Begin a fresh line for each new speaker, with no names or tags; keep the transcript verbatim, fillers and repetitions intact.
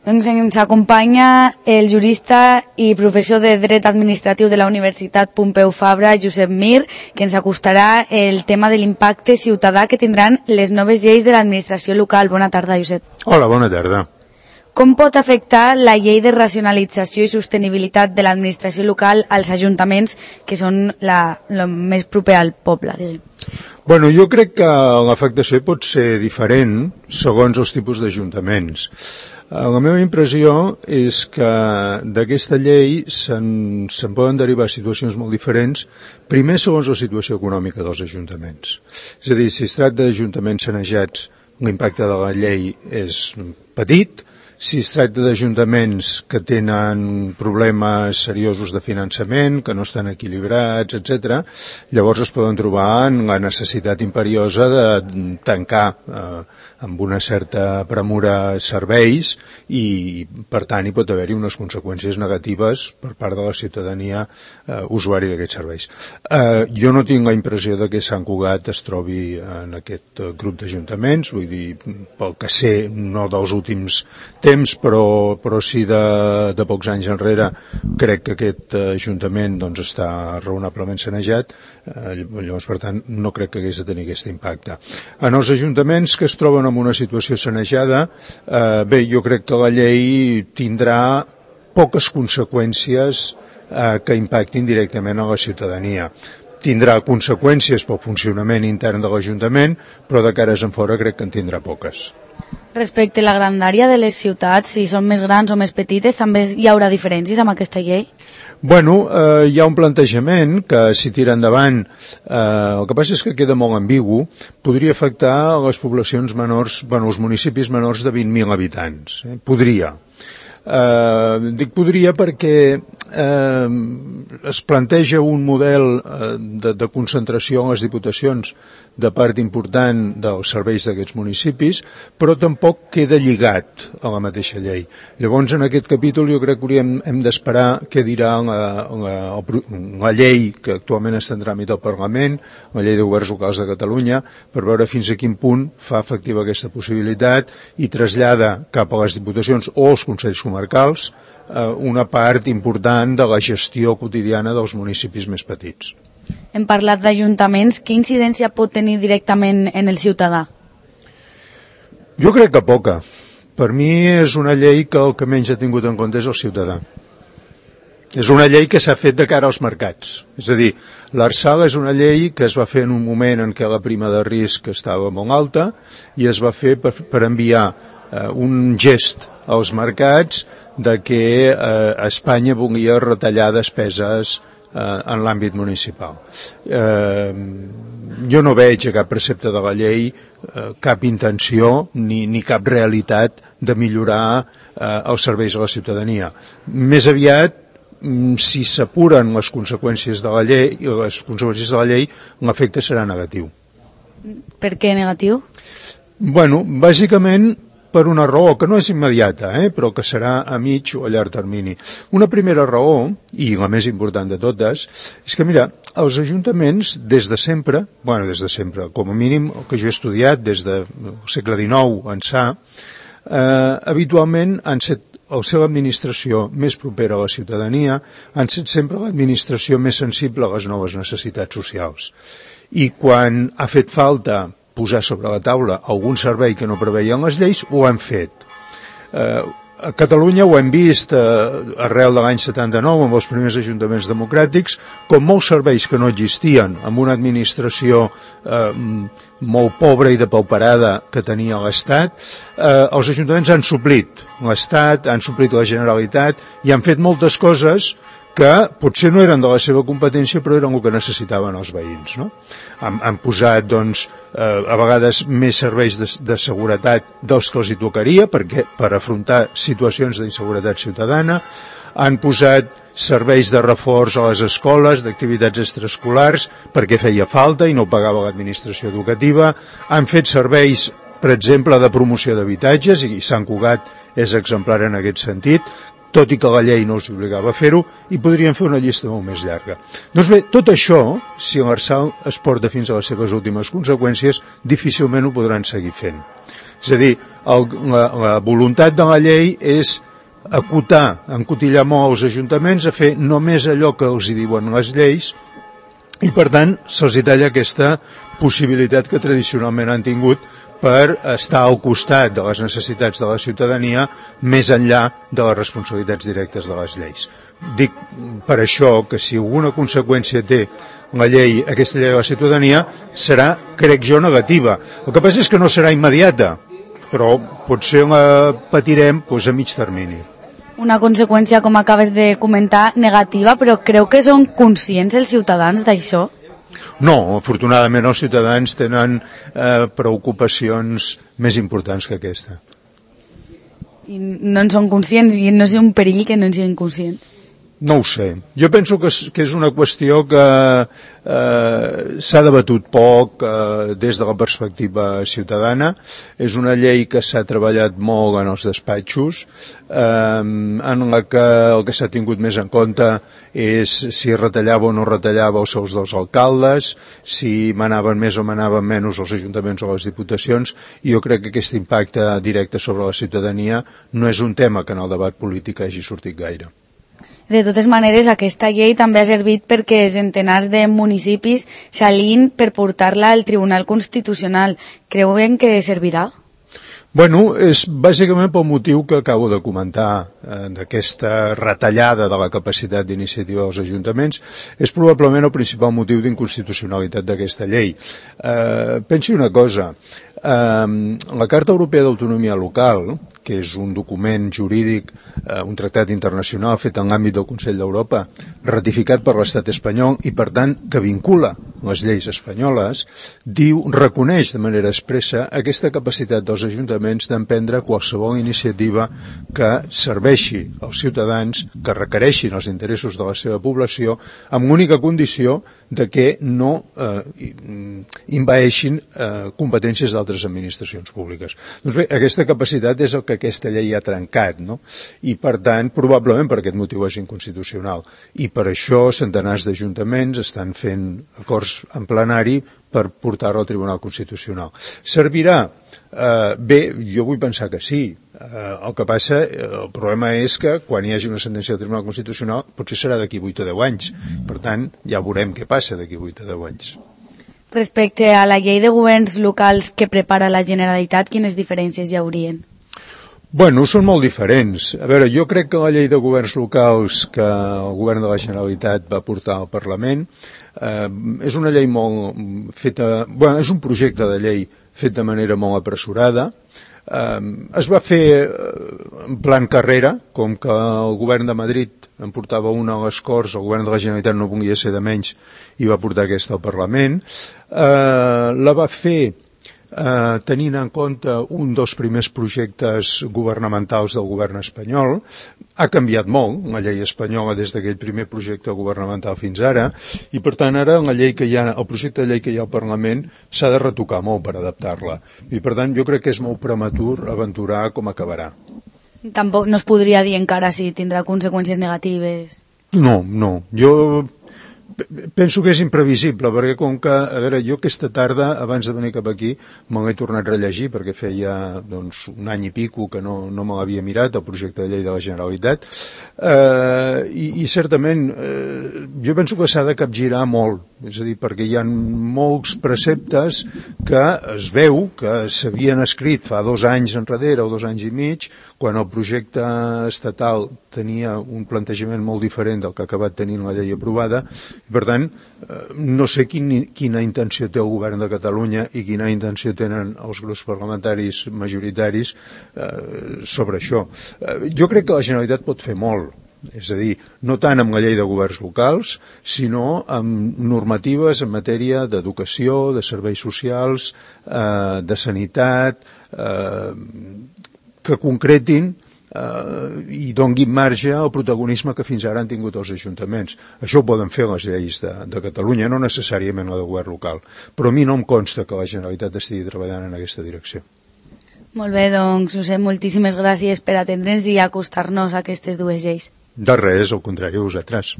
Ens acompanya el jurista i professor de Dret Administratiu de la Universitat Pompeu Fabra, Josep Mir, que ens acostarà el tema de l'impacte ciutadà que tindran les noves lleis de l'administració local. Bona tarda, Josep.
Hola, bona tarda.
Com pot afectar la llei de racionalització i sostenibilitat de l'administració local als ajuntaments, que són la, la més proper al poble, diguem?
Bueno, jo crec que l'afectació pot ser diferent segons els tipus d'ajuntaments. La meva impressió és que d'aquesta llei se'n se'n poden derivar situacions molt diferents, primer segons la situació econòmica dels ajuntaments. És a dir, si es tracta d'ajuntaments sanejats, l'impacte de la llei és petit. Si es tracta d'ajuntaments que tenen problemes seriosos de finançament, que no estan equilibrats, etcètera, llavors es poden trobar en la necessitat imperiosa de tancar eh, amb una certa premura serveis i, per tant, hi pot haver-hi unes conseqüències negatives per part de la ciutadania eh, usuari d'aquests serveis. Eh, jo no tinc la impressió de que Sant Cugat es trobi en aquest grup d'ajuntaments, vull dir, pel que sé, no dels últims temps, però, però sí de, de pocs anys enrere, crec que aquest ajuntament doncs, està raonablement sanejat, eh, llavors, per tant, no crec que hagués de tenir aquest impacte. En els ajuntaments que es troben en una situació sanejada, eh, bé, jo crec que la llei tindrà poques conseqüències eh, que impactin directament a la ciutadania. Tindrà conseqüències pel funcionament intern de l'Ajuntament, però de cares en fora crec que en tindrà poques.
Respecte a la grandària de les ciutats, si són més grans o més petites, també hi haurà diferències amb aquesta llei?
Bueno, eh, hi ha un plantejament que si tira endavant, eh, el que passa és que queda molt ambigu, podria afectar a les poblacions menors, bueno, els municipis menors de vint mil habitants. Eh? Podria. Eh, dic podria perquè eh, es planteja un model eh, de, de concentració en les diputacions de part important dels serveis d'aquests municipis, però tampoc queda lligat a la mateixa llei. Llavors, en aquest capítol jo crec que hauríem, hem d'esperar què dirà la, la, la llei que actualment està en tràmit al Parlament, la llei de governs locals de Catalunya, per veure fins a quin punt fa efectiva aquesta possibilitat i trasllada cap a les diputacions o als consells comarcals eh, una part important de la gestió quotidiana dels municipis més petits.
Hem parlat d'ajuntaments. Quina incidència pot tenir directament en el ciutadà?
Jo crec que poca. Per mi és una llei que el que menys ha tingut en compte és el ciutadà. És una llei que s'ha fet de cara als mercats. És a dir, l'Arsal és una llei que es va fer en un moment en què la prima de risc estava molt alta i es va fer per, per enviar eh, un gest als mercats de que eh, Espanya volia retallar despeses en l'àmbit municipal. Eh, jo no veig a cap precepte de la llei eh, cap intenció ni, ni cap realitat de millorar eh, els serveis a la ciutadania. Més aviat, si s'apuren les conseqüències de la llei, les conseqüències de la llei, l'efecte serà negatiu.
Per què negatiu?
Bueno, bàsicament per una raó que no és immediata, eh, però que serà a mig o a llarg termini. Una primera raó, i la més important de totes, és que, mira, els ajuntaments des de sempre, bueno, des de sempre, com a mínim el que jo he estudiat des del segle dinou ençà, eh, habitualment han set el seva administració més propera a la ciutadania, han set sempre l'administració més sensible a les noves necessitats socials. I quan ha fet falta posar sobre la taula algun servei que no preveien les lleis, ho han fet. Eh, a Catalunya ho hem vist eh, arrel de l'any setanta-nou amb els primers ajuntaments democràtics, com molts serveis que no existien, amb una administració eh, molt pobra i depauperada que tenia l'Estat, eh, els ajuntaments han suplit l'Estat, han suplit la Generalitat i han fet moltes coses que potser no eren de la seva competència, però eren el que necessitaven els veïns. No? Han, han posat, doncs, eh, a vegades més serveis de, de seguretat dels que els hi tocaria, perquè, per afrontar situacions d'inseguretat ciutadana, han posat serveis de reforç a les escoles, d'activitats extraescolars, perquè feia falta i no pagava l'administració educativa, han fet serveis, per exemple, de promoció d'habitatges, i Sant Cugat és exemplar en aquest sentit, tot i que la llei no us obligava a fer-ho, i podríem fer una llista molt més llarga. Doncs bé, tot això, si l'Arsal es porta fins a les seves últimes conseqüències, difícilment ho podran seguir fent. És a dir, el, la, la voluntat de la llei és acotar, encotillar molt els ajuntaments a fer només allò que els hi diuen les lleis i, per tant, se'ls talla aquesta possibilitat que tradicionalment han tingut per estar al costat de les necessitats de la ciutadania més enllà de les responsabilitats directes de les lleis. Dic per això que si alguna conseqüència té la llei, aquesta llei de la ciutadania, serà, crec jo, negativa. El que passa és que no serà immediata, però potser la patirem doncs, a mig termini.
Una conseqüència, com acabes de comentar, negativa, però creu que són conscients els ciutadans d'això?
No, afortunadament els ciutadans tenen eh, preocupacions més importants que aquesta.
I no en són conscients i no és un perill que no en siguin conscients?
No ho sé. Jo penso que és, que és una qüestió que eh, s'ha debatut poc eh, des de la perspectiva ciutadana. És una llei que s'ha treballat molt en els despatxos, eh, en la que el que s'ha tingut més en compte és si retallava o no retallava els sous dels alcaldes, si manaven més o manaven menys els ajuntaments o les diputacions, i jo crec que aquest impacte directe sobre la ciutadania no és un tema que en el debat polític hagi sortit gaire.
De totes maneres, aquesta llei també ha servit perquè centenars de municipis s'alin per portar-la al Tribunal Constitucional. Creuen que servirà?
Bueno, és bàsicament pel motiu que acabo de comentar, eh, d'aquesta retallada de la capacitat d'iniciativa dels ajuntaments. És probablement el principal motiu d'inconstitucionalitat d'aquesta llei. Eh, pensi una cosa, eh, la Carta Europea d'Autonomia Local, que és un document jurídic, eh, un tractat internacional fet en l'àmbit del Consell d'Europa, ratificat per l'estat espanyol i, per tant, que vincula les lleis espanyoles, diu, reconeix de manera expressa aquesta capacitat dels ajuntaments d'emprendre qualsevol iniciativa que serveixi als ciutadans, que requereixin els interessos de la seva població, amb l'única condició de que no eh, invaeixin eh, competències d'altres administracions públiques. Doncs bé, aquesta capacitat és el que aquesta llei ha trencat, no? I per tant, probablement per aquest motiu és inconstitucional. I per això centenars d'ajuntaments estan fent acords en plenari per portar-ho al Tribunal Constitucional. Servirà? Eh, bé, jo vull pensar que sí. Eh, el que passa, el problema és que quan hi hagi una sentència del Tribunal Constitucional potser serà d'aquí vuit o deu anys. Per tant, ja veurem què passa d'aquí vuit o deu anys.
Respecte a la llei de governs locals que prepara la Generalitat, quines diferències hi haurien?
Bueno, són molt diferents. A veure, jo crec que la llei de governs locals que el govern de la Generalitat va portar al Parlament eh, és una llei molt feta... Bueno, és un projecte de llei fet de manera molt apressurada. Eh, es va fer en plan carrera, com que el govern de Madrid en portava una a les Corts, el govern de la Generalitat no volia ser de menys i va portar aquesta al Parlament. Eh, la va fer eh, tenint en compte un dels primers projectes governamentals del govern espanyol. Ha canviat molt la llei espanyola des d'aquell primer projecte governamental fins ara, i per tant ara la llei que hi ha, el projecte de llei que hi ha al Parlament s'ha de retocar molt per adaptar-la, i per tant jo crec que és molt prematur aventurar com acabarà.
Tampoc no es podria dir encara si tindrà conseqüències negatives.
No, no, jo penso que és imprevisible, perquè com que, a veure, jo aquesta tarda, abans de venir cap aquí, me l'he tornat a rellegir, perquè feia doncs, un any i pico que no, no me l'havia mirat, el projecte de llei de la Generalitat, eh, i, i certament eh, jo penso que s'ha de capgirar molt, és a dir, perquè hi ha molts preceptes que es veu que s'havien escrit fa dos anys enrere o dos anys i mig, quan el projecte estatal tenia un plantejament molt diferent del que ha acabat tenint la llei aprovada. Per tant, no sé quin, quina intenció té el govern de Catalunya i quina intenció tenen els grups parlamentaris majoritaris eh, sobre això. Eh, jo crec que la Generalitat pot fer molt, és a dir, no tant amb la llei de governs locals, sinó amb normatives en matèria d'educació, de serveis socials, eh, de sanitat, eh, que concretin eh, i donguin marge al protagonisme que fins ara han tingut els ajuntaments. Això ho poden fer les lleis de, de Catalunya, no necessàriament la de govern local, però a mi no em consta que la Generalitat estigui treballant en aquesta direcció.
Molt bé, doncs, Josep, moltíssimes gràcies per atendre'ns i acostar-nos a aquestes dues lleis.
De res, al contrari, a vosaltres.